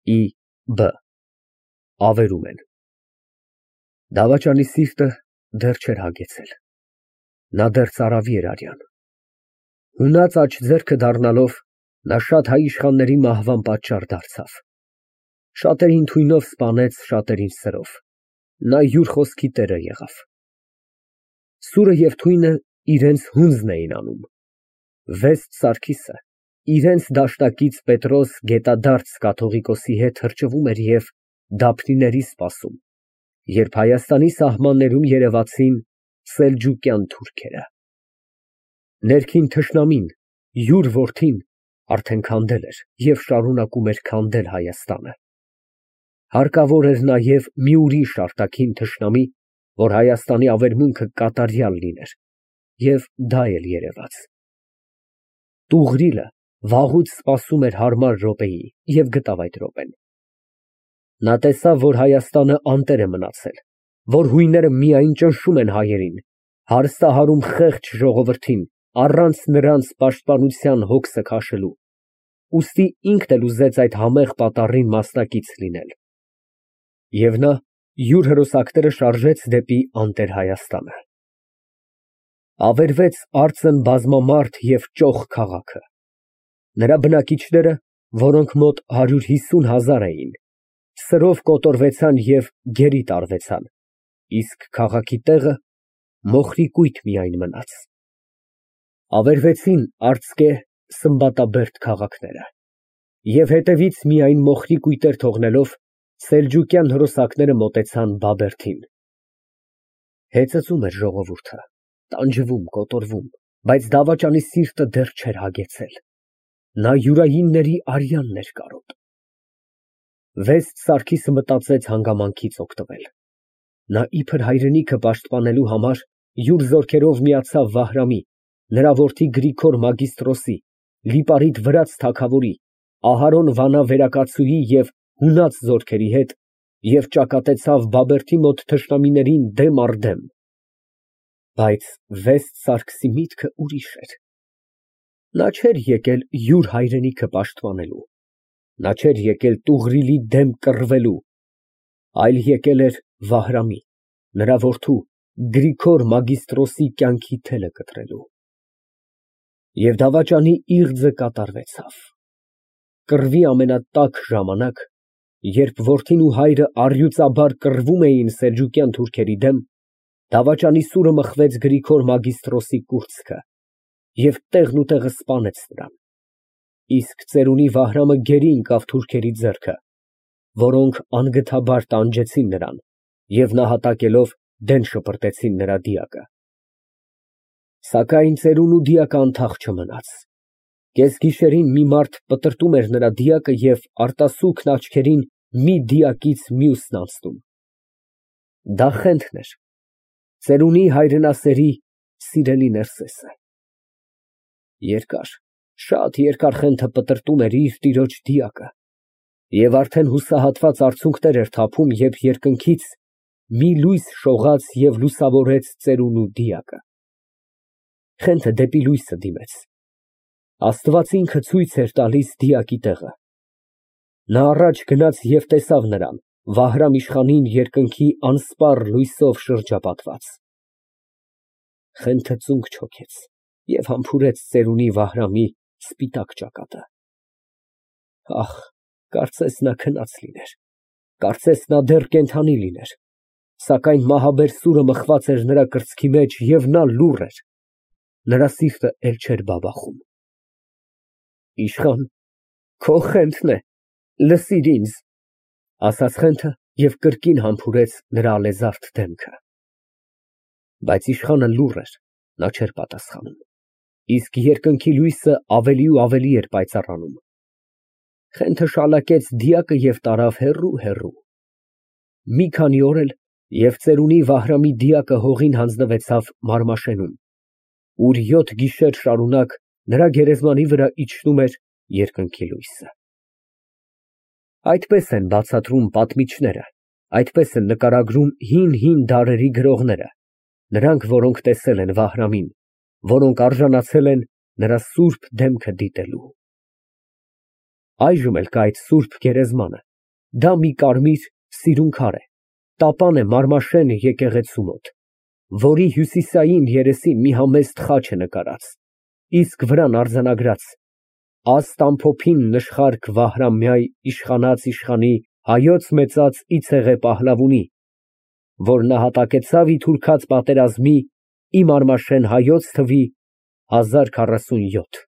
Ի.Բ. Ավերում են։ Դավաճանի սիրտը դեռ չէր հագեցել, նա դեռ ծարավի էր արյան։ Հունած աջ ձեռքը դառնալով, նա շատ հայ իշխանների մահվան պատճառ դարձավ, շատերին թույնով սպանեց, շատերին սրով, նա յուր խոսքի տերը եղավ։ Սուրը և թույնը իրենց հունձն էին անում, Վեստ Սարգիսը իրենց դաշնակից Պետրոս Գետադարձ կաթողիկոսի հետ թրջվում էր և դափնիների սպասում, երբ Հայաստանի սահմաններում երևացին սելջուկյան թուրքերը։ Ներքին թշնամին, յուր որդին, արդեն քանդել էր և շարունակում էր քանդել Հայաստանը։ Հարկավոր էր նաև մի ուրիշ արտաքին թշնամի, որ Հայաստանի ավերմունքը կատարյալ լիներ, և դա էլ երևաց։ Տուղրիլը վաղուց սպասում էր հարմար րոպեի և գտավ այդ րոպեն։ Նա տեսավ, որ Հայաստանը անտեր է մնացել, որ հույները միայն ճնշում են հայերին, հարստահարում խեղճ ժողովրդին, առանց նրանց պաշտպանության հոգսը քաշելու, ուստի ինքն էլ ուզեց այդ համեղ պատառին մասնակից լինել։ Եվ նա յուր հրոսակները շարժեց դեպի անտեր Հայաստանը։ Ավերվեց արծն բազմամարդ և ճոխ քաղաքը։ Նրա բնակիչները, որոնք մոտ 150,000 էին, սրով կոտորվեցան և գերի տարվեցան, իսկ քաղաքի տեղը մոխրի կույտ միայն մնաց։ Ավերվեցին արծկե, սմբատաբերդ քաղաքները և հետևից միայն մոխրի կույտեր թողնելով, սելջուկյան հրոսակները մոտեցան Բաբերդին։ Հեծծում էր ժողովուրդը, տանջվում, կոտորվում, բայց դավաճանի սիրտը դեռ չէր հագեցել, նա յուրայինների արյանն էր կարոտ։ Վեստ Սարգիսը մտածեց հանգամանքից օգտվել։ Նա իբր հայրենիքը պաշտպանելու համար յուր զորքերով միացավ Վահրամի, նրա որդի Գրիգոր Մագիստրոսի, Լիպարիտ վրաց թագավորի, Ահարոն Վանա վերակացուհի և հունած զորքերի հետ և ճակատեցավ Բաբերդի մոտ թշնամիներին դեմ առ դեմ։ Բայց Վեստ Սարգսի միտքը ուրիշ էր։ Նա չէր եկել յուր հայրենիքը պաշտպանելու, նա չէր եկել Տուղրիլի դեմ կռվելու, այլ եկել էր Վահրամի, նրա որդու Գրիգոր Մագիստրոսի կյանքի թելը կտրելու։ Եվ դավաճանի իղձը կատարվեցավ։ Կռվի ամենատաք ժամանակ, երբ որդին ու հայրը առյուծաբար կռվում էին սելջուկյան թուրքերի դեմ, դավաճանի սուրը մխվեց Գրիգոր Մագիստրոսի կուրծքը և տեղնուտեղը սպանեց նրան, իսկ ծերունի Վահրամը գերի ընկավ թուրքերի ձեռքը, որոնք անգթաբար տանջեցին նրան և նահատակելով դեն շպրտեցին նրա դիակը։ Սակայն ծերունու դիակը անթաղ չմնաց։ Կեսգիշերին մի մարդ պտրտում էր նրա դիակը և արտասուքն աչքերին մի դիակից մյուսն անցնում։ Դա Խենթն էր, ծերունի հայրենասերի սիրելի Ներսեսը։ Երկար, շատ երկար Խենթը պտրտում էր իր տիրոջ դիակը և արդեն հուսահատված արցունքներ էր թափում, երբ երկնքից մի լույս շողաց և լուսավորեց ծերունու դիակը։ Խենթը դեպի լույսը դիմեց։ Աստված ինքը ցույց էր տալիս դիակի տեղը։ Նա առաջ գնաց և տեսավ նրան, Վահրամ իշխանին երկնքի անսպառ լույսով շրջապատված։ Խենթը ծունկ չոքեց և համբուրեց ծերունի Վահրամի սպիտակ ճակատը։ Ահ, կարծես նա քնած լիներ, կարծես նա դեռ կենդանի լիներ, սակայն մահաբեր սուրը մխված էր նրա կրծքի մեջ և նա լուռ էր, նրա սիրտը էլ չէր բաբախում։ Իշխան, քո Խենթն է, լսիր ինձ, ասաց Խենթը և կրկին համբուրեց նրա ալեզարդ դեմքը։ Բայց իշխանը լուռ էր, նա չէր պատասխանում, իսկ երկնքի լույսը ավելի ու ավելի էր պայծառանում։ Խենթը շալակեց դիակը և տարավ հեռու։ Մի քանի օր էլ և ծերունի Վահրամի դիակը հողին հանձնվեցավ Մարմաշենում, ուր 7 գիշեր շարունակ նրա գերեզմանի վրա իջնում էր երկնքի լույսը։ Այդպես են բացատրում պատմիչները, այդպես են նկարագրում հին դարերի գրողները, նրանք, որոնք տեսել են Վահրամին, որոնք արժանացել են նրա սուրբ դեմքը դիտելու։ Այժմ էլ կա այդ սուրբ գերեզմանը, Դա մի կարմիր սիրուն քար է, տապան է Մարմաշեն եկեղեցու մոտ, որի հյուսիսային երեսին մի համեստ խաչ է նկարած, իսկ վրան արձանագրած. «Աստ ամփոփին նշխարք Վահրամյայ իշխանած իշխանի հայոց մեծած Իցեղե Պահլավունի, որ նահատակեցավ ի թուրքած պատերազմի ի Մարմաշեն հայոց թվի 1047»։